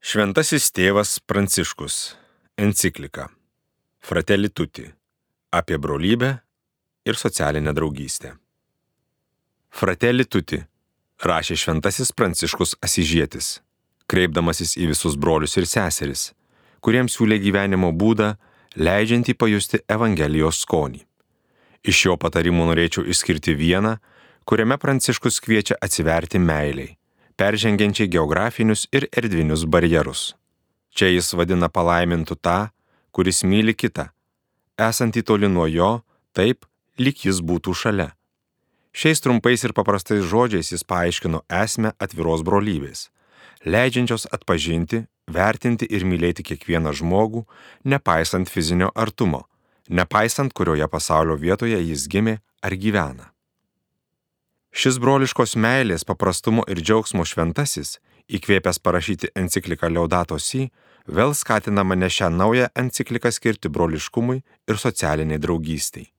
Šventasis tėvas Pranciškus. Enciklika Fratelli Tutti apie brolybę ir socialinę draugystę. Fratelli Tutti rašė šventasis Pranciškus Asyžietis, kreipdamasis į visus brolius ir seseris, kuriems siūlė gyvenimo būdą, leidžiantį pajusti Evangelijos skonį. Iš jo patarimų norėčiau išskirti vieną, kuriame Pranciškus kviečia atsiverti meilei, peržengiančiai geografinius ir erdvinius barjerus. Čia jis vadina palaimintu tą, kuris myli kitą, esantį toli nuo jo, taip, lyg jis būtų šalia. Šiais trumpais ir paprastais žodžiais jis paaiškino esmę atviros brolybės, leidžiančios atpažinti, vertinti ir mylėti kiekvieną žmogų, nepaisant fizinio artumo, nepaisant kurioje pasaulio vietoje jis gimė ar gyvena. Šis broliškos meilės, paprastumo ir džiaugsmo šventasis, įkvėpęs parašyti encikliką Laudato Si, vėl skatina mane šią naują encikliką skirti broliškumui ir socialiniai draugystei.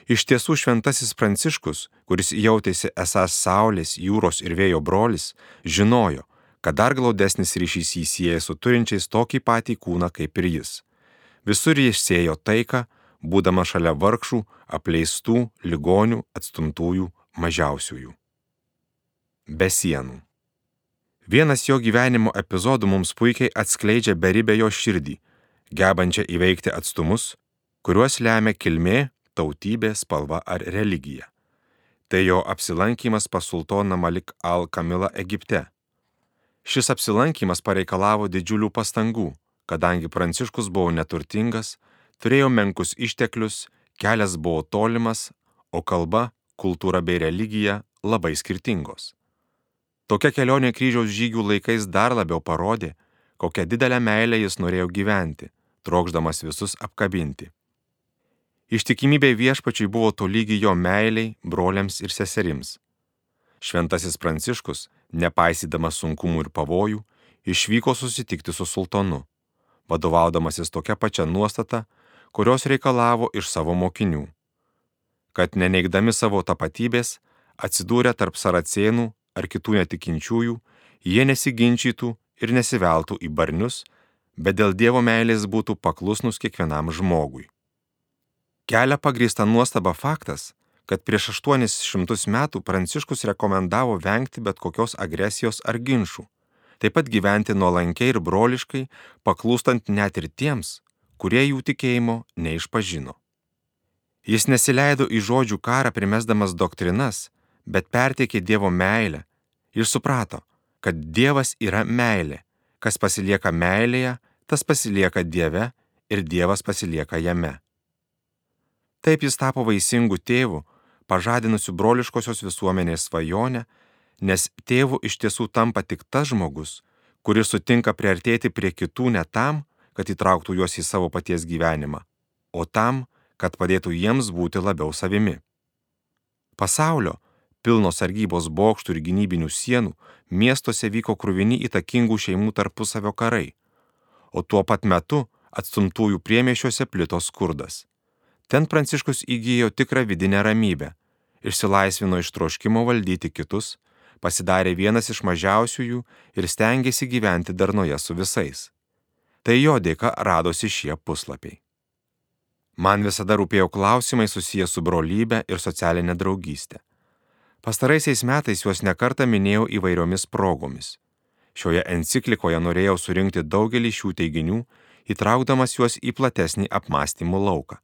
Iš tiesų šventasis Pranciškus, kuris jautėsi esąs saulės, jūros ir vėjo brolis, žinojo, kad dar glaudesnis ryšys jį sieja su turinčiais tokį patį kūną kaip ir jis. Visur jis sėjo taiką, būdama šalia vargšų, apleistų, ligonių, atstumtųjų, mažiausiųjų. Be sienų. Vienas jo gyvenimo epizodų mums puikiai atskleidžia beribę jo širdį, gebančią įveikti atstumus, kuriuos lemia kilmė, tautybė, spalva ar religija. Tai jo apsilankymas pas sultoną Malik al-Kamilą Egipte. Šis apsilankymas pareikalavo didžiulių pastangų, kadangi Pranciškus buvo neturtingas, turėjo menkus išteklius, kelias buvo tolimas, o kalba, kultūra bei religija labai skirtingos. Tokia kelionė kryžiaus žygių laikais dar labiau parodė, kokią didelę meilę jis norėjo gyventi, trokšdamas visus apkabinti. Ištikimybė viešpačiui buvo tolygi jo meiliai, broliams ir seserims. Šventasis Pranciškus, nepaisydamas sunkumų ir pavojų, išvyko susitikti su sultonu, vadovaudamasis tokia pačia nuostata, kurios reikalavo iš savo mokinių, kad neneigdami savo tapatybės, atsidūrę tarp saracėnų ar kitų netikinčiųjų, jie nesiginčytų ir nesiveltų į barnius, bet dėl Dievo meilės būtų paklusnus kiekvienam žmogui. Kelia pagrįsta nuostaba faktas, kad prieš 800 metų Pranciškus rekomendavo vengti bet kokios agresijos ar ginčų, taip pat gyventi nuolankiai ir broliškai, paklūstant net ir tiems, kurie jų tikėjimo neišpažino. Jis nesileido į žodžių karą primesdamas doktrinas, bet perteikė Dievo meilę ir suprato, kad Dievas yra meilė, kas pasilieka meilėje, tas pasilieka Dieve ir Dievas pasilieka jame. Taip jis tapo vaisingu tėvu, pažadinusiu broliškosios visuomenės svajonę, nes tėvu iš tiesų tampa tik tas žmogus, kuris sutinka priartėti prie kitų ne tam, kad įtrauktų juos į savo paties gyvenimą, o tam, kad padėtų jiems būti labiau savimi. Pasaulio, pilno sargybos bokštų ir gynybinių sienų, miestuose vyko kruvini įtakingų šeimų tarpusavio karai, o tuo pat metu atstumtųjų priemiesčiuose plito skurdas. Ten Pranciškus įgijo tikrą vidinę ramybę, išsilaisvino iš troškimo valdyti kitus, pasidarė vienas iš mažiausiųjų ir stengėsi gyventi darnoje su visais. Tai jo dėka radosi šie puslapiai. Man visada rūpėjo klausimai susiję su brolybė ir socialinė draugystė. Pastaraisiais metais juos nekartą minėjau įvairiomis progomis. Šioje enciklikoje norėjau surinkti daugelį šių teiginių, įtraukdamas juos į platesnį apmąstymų lauką.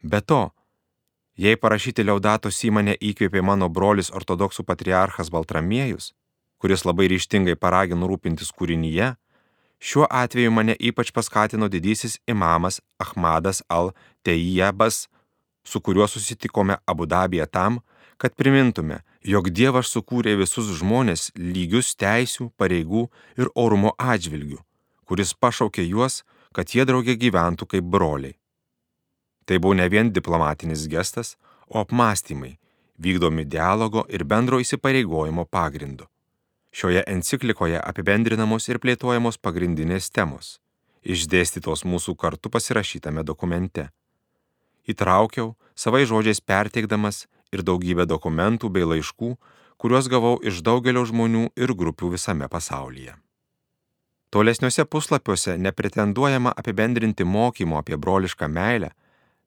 Be to, jei parašyti Laudato Si mane įkvėpė mano brolis ortodoksų patriarchas Baltramiejus, kuris labai ryžtingai paragino rūpintis kūrinyje, šiuo atveju mane ypač paskatino didysis imamas Ahmadas al-Teijabas, su kuriuo susitikome Abu Dabyje tam, kad primintume, jog Dievas sukūrė visus žmones lygius teisių, pareigų ir orumo atžvilgių, kuris pašaukė juos, kad jie drauge gyventų kaip broliai. Tai buvo ne vien diplomatinis gestas, o apmąstymai, vykdomi dialogo ir bendro įsipareigojimo pagrindu. Šioje enciklikoje apibendrinamos ir plėtojamos pagrindinės temos, išdėstytos mūsų kartu pasirašytame dokumente. Įtraukiau, savai žodžiais perteikdamas ir daugybę dokumentų bei laiškų, kuriuos gavau iš daugelio žmonių ir grupių visame pasaulyje. Tolesniuose puslapiuose nepretenduojama apibendrinti mokymo apie brolišką meilę,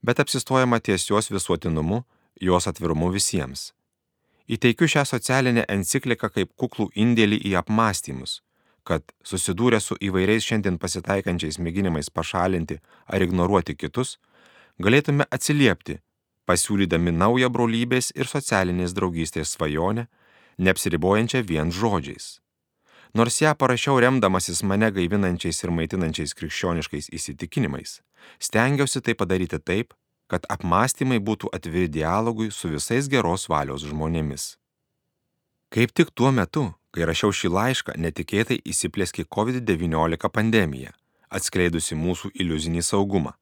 bet apsistojama ties jos visuotinumu, jos atvirumu visiems. Įteikiu šią socialinę encikliką kaip kuklų indėlį į apmąstymus, kad susidūrę su įvairiais šiandien pasitaikančiais mėginimais pašalinti ar ignoruoti kitus, galėtume atsiliepti, pasiūlydami naują brolybės ir socialinės draugystės svajonę, neapsiribojančią vien žodžiais. Nors ją parašiau remdamasis mane gaivinančiais ir maitinančiais krikščioniškais įsitikinimais, stengiausi tai padaryti taip, kad apmąstymai būtų atviri dialogui su visais geros valios žmonėmis. Kaip tik tuo metu, kai rašiau šį laišką, netikėtai įsiplieskė COVID-19 pandemija, atskleidusi mūsų iliuzinį saugumą.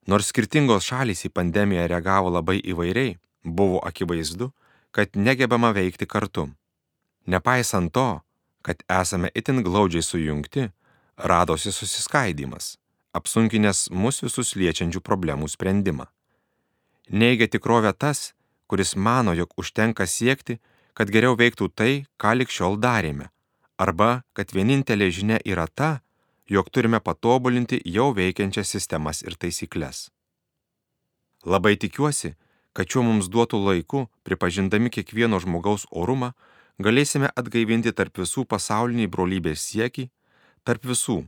Nors skirtingos šalys į pandemiją reagavo labai įvairiai, buvo akivaizdu, kad negebama veikti kartu. Nepaisant to, kad esame itin glaudžiai sujungti, radosi susiskaidymas, apsunkinęs mus visus liečiančių problemų sprendimą. Neigia tikrovę tas, kuris mano, jog užtenka siekti, kad geriau veiktų tai, ką lig šiol darėme, arba kad vienintelė žinia yra ta, jog turime patobulinti jau veikiančias sistemas ir taisyklės. Labai tikiuosi, kad šiuo mums duotų laiku, pripažindami kiekvieno žmogaus orumą, galėsime atgaivinti tarp visų pasaulinį brolybės siekį, tarp visų.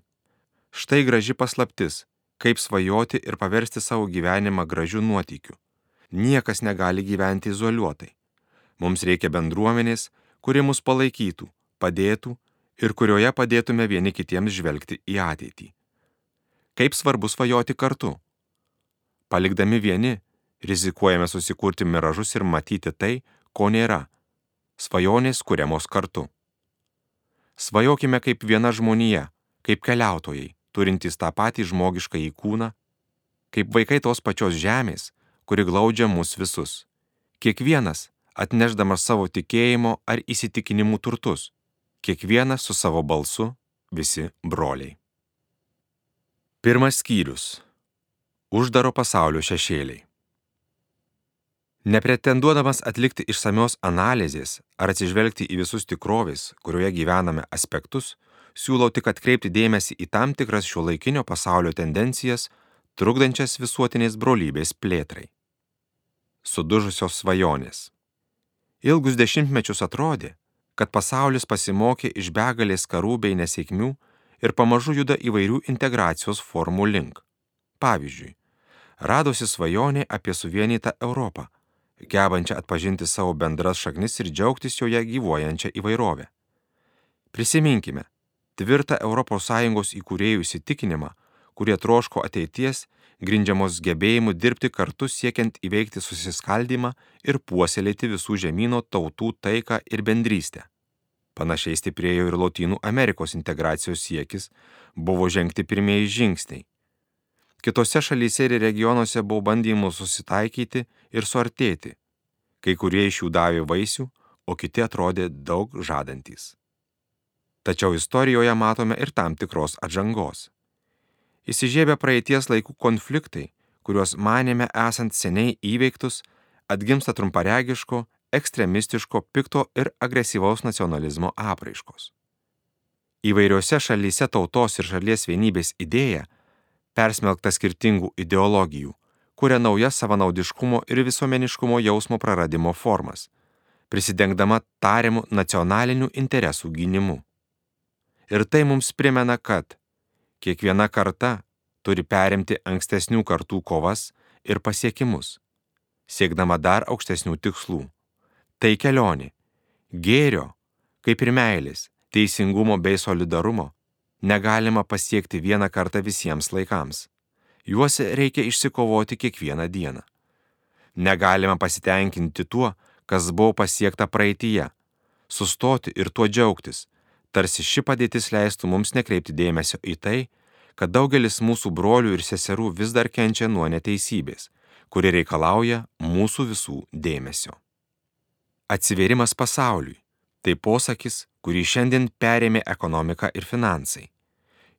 Štai graži paslaptis, kaip svajoti ir paversti savo gyvenimą gražiu nuotykiu. Niekas negali gyventi izoliuotai. Mums reikia bendruomenės, kuri mus palaikytų, padėtų ir kurioje padėtume vieni kitiems žvelgti į ateitį. Kaip svarbu svajoti kartu. Palikdami vieni, rizikuojame susikurti miražus ir matyti tai, ko nėra. Svajonės kuriamos kartu. Svajokime kaip viena žmonija, kaip keliautojai, turintys tą patį žmogiškąjį kūną, kaip vaikai tos pačios žemės, kuri glaudžia mus visus. Kiekvienas atnešdamas savo tikėjimo ar įsitikinimų turtus, kiekvienas su savo balsu, visi broliai. Pirmas skyrius. Uždaro pasaulio šešėliai. Nepretenduodamas atlikti išsamios analizės ar atsižvelgti į visus tikrovės, kurioje gyvename aspektus, siūlau tik atkreipti dėmesį į tam tikras šiuolaikinio pasaulio tendencijas, trukdančias visuotinės brolybės plėtrai. Sudužusios svajonės. Ilgus dešimtmečius atrodė, kad pasaulis pasimokė iš begalės karų bei nesėkmių ir pamažu juda įvairių integracijos formų link. Pavyzdžiui, radosi svajonė apie suvienytą Europą, gebančią atpažinti savo bendras šaknis ir džiaugtis joje gyvuojančią įvairovę. Prisiminkime tvirtą ES įkūrėjų įsitikinimą, kurie troško ateities, grindžiamos gebėjimu dirbti kartu siekiant įveikti susiskaldymą ir puoselėti visų žemyno tautų taiką ir bendrystę. Panašiai stiprėjo ir Lotynų Amerikos integracijos siekis, buvo žengti pirmieji žingsniai. Kitose šalyse ir regionuose buvo bandymų susitaikyti ir suartėti. Kai kurie iš jų davė vaisių, o kiti atrodė daug žadantys. Tačiau istorijoje matome ir tam tikros atžangos. Įsižiebę praeities laikų konfliktai, kuriuos manėme esant seniai įveiktus, atgimsta trumparegiško, ekstremistiško, pikto ir agresyvaus nacionalizmo apraiškos. Įvairiose šalyse tautos ir šalies vienybės idėja, persmelkta skirtingų ideologijų, kuria naujas savanaudiškumo ir visuomeniškumo jausmo praradimo formas, prisidengdama tariamų nacionalinių interesų gynimu. Ir tai mums primena, kad kiekviena karta turi perimti ankstesnių kartų kovas ir pasiekimus, siekdama dar aukštesnių tikslų. Tai kelionė, gėrio, kaip ir meilės, teisingumo bei solidarumo, negalima pasiekti vieną kartą visiems laikams. Juos reikia išsikovoti kiekvieną dieną. Negalima pasitenkinti tuo, kas buvo pasiekta praeityje, sustoti ir tuo džiaugtis, tarsi ši padėtis leistų mums nekreipti dėmesio į tai, kad daugelis mūsų brolių ir seserų vis dar kenčia nuo neteisybės, kuri reikalauja mūsų visų dėmesio. Atsivėrimas pasauliui – tai posakis, kurį šiandien perėmė ekonomika ir finansai.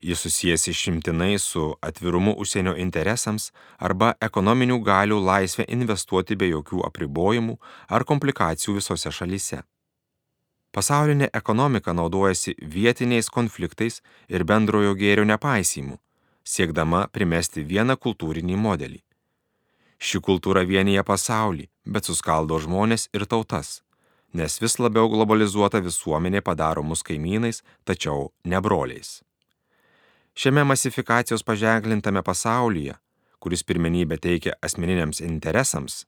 Jis susijęs išimtinai su atvirumu užsienio interesams arba ekonominių galių laisvę investuoti be jokių apribojimų ar komplikacijų visose šalyse. Pasaulinė ekonomika naudojasi vietiniais konfliktais ir bendrojo gėrio nepaisymu, siekdama primesti vieną kultūrinį modelį. Ši kultūra vienyje pasaulį, bet suskaldo žmonės ir tautas, nes vis labiau globalizuota visuomenė padaro mus kaimynais, tačiau ne broliais. Šiame masifikacijos paženklintame pasaulyje, kuris pirmenybę teikia asmeniniams interesams,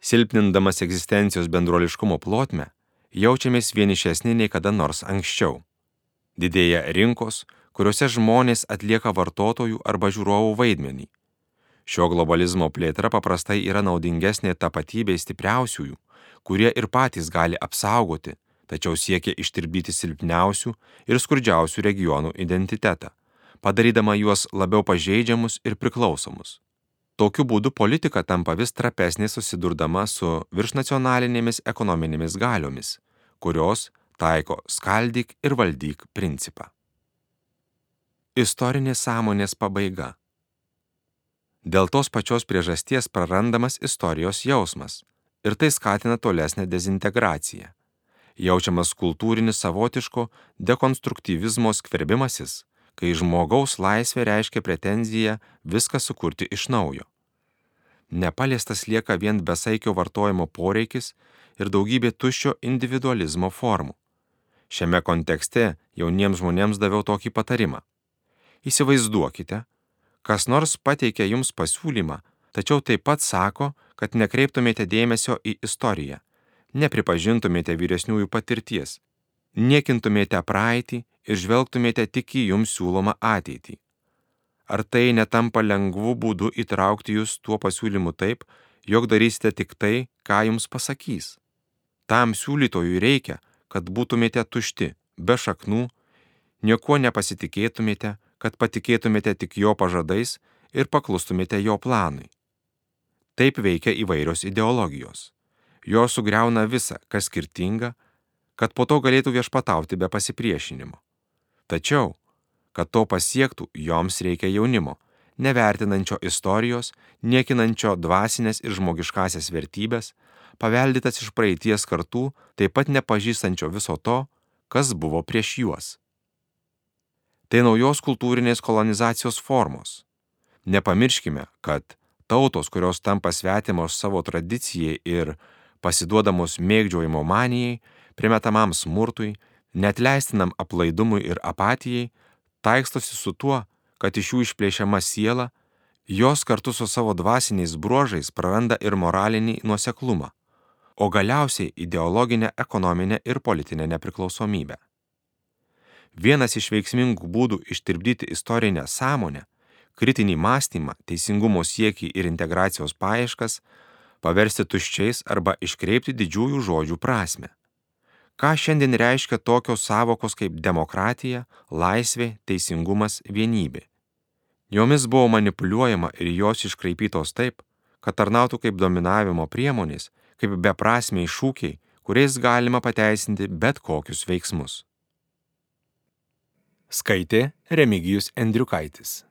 silpnindamas egzistencijos bendruoliškumo plotmę, jaučiamės vienišesni nei kada nors anksčiau. Didėja rinkos, kuriuose žmonės atlieka vartotojų arba žiūrovų vaidmenį. Šio globalizmo plėtra paprastai yra naudingesnė tapatybei stipriausiųjų, kurie ir patys gali apsaugoti, tačiau siekia ištirpdyti silpniausių ir skurdžiausių regionų identitetą, padarydama juos labiau pažeidžiamus ir priklausomus. Tokiu būdu politika tampa vis trapesnė susidurdama su viršnacionalinėmis ekonominėmis galiomis, kurios taiko skaldyk ir valdyk principą. Istorinės sąmonės pabaiga. Dėl tos pačios priežasties prarandamas istorijos jausmas ir tai skatina tolesnę dezintegraciją. Jaučiamas kultūrinis savotiško dekonstruktyvizmo skverbimasis, kai žmogaus laisvė reiškia pretenziją viską sukurti iš naujo. Nepaliestas lieka vien besaikio vartojimo poreikis ir daugybė tuščio individualizmo formų. Šiame kontekste jauniems žmonėms daviau tokį patarimą. Įsivaizduokite, kas nors pateikia jums pasiūlymą, tačiau taip pat sako, kad nekreiptumėte dėmesio į istoriją, nepripažintumėte vyresniųjų patirties, niekintumėte praeitį ir žvelgtumėte tik į jums siūlomą ateitį. Ar tai netampa lengvų būdų įtraukti jūs tuo pasiūlymu taip, jog darysite tik tai, ką jums pasakys? Tam siūlytojui reikia, kad būtumėte tušti, be šaknų, niekuo nepasitikėtumėte, kad patikėtumėte tik jo pažadais ir paklustumėte jo planui. Taip veikia įvairios ideologijos. Jos sugriauna visą, kas skirtinga, kad po to galėtų viešpatauti be pasipriešinimo. Tačiau, kad to pasiektų, joms reikia jaunimo, nevertinančio istorijos, niekinančio dvasinės ir žmogiškasias vertybės, paveldytas iš praeities kartų, taip pat nepažįstančio viso to, kas buvo prieš juos. Tai naujos kultūrinės kolonizacijos formos. Nepamirškime, kad tautos, kurios tampa svetimos savo tradicijai ir pasiduodamos mėgdžiojimo manijai, primetamam smurtui, neatleistinam aplaidumui ir apatijai, taikstosi su tuo, kad iš jų išplėšiama siela, jos kartu su savo dvasiniais bruožais praranda ir moralinį nuoseklumą, o galiausiai ideologinę, ekonominę ir politinę nepriklausomybę. Vienas iš veiksmingų būdų ištirpdyti istorinę sąmonę, kritinį mąstymą, teisingumo siekį ir integracijos paieškas, paversti tuščiais arba iškreipti didžiųjų žodžių prasmę. Ką šiandien reiškia tokios sąvokos kaip demokratija, laisvė, teisingumas, vienybė? Jomis buvo manipuliuojama ir jos iškraipytos taip, kad tarnautų kaip dominavimo priemonės, kaip beprasmiai šūkiai, kuriais galima pateisinti bet kokius veiksmus. Skaitė Remigijus Endriukaitis.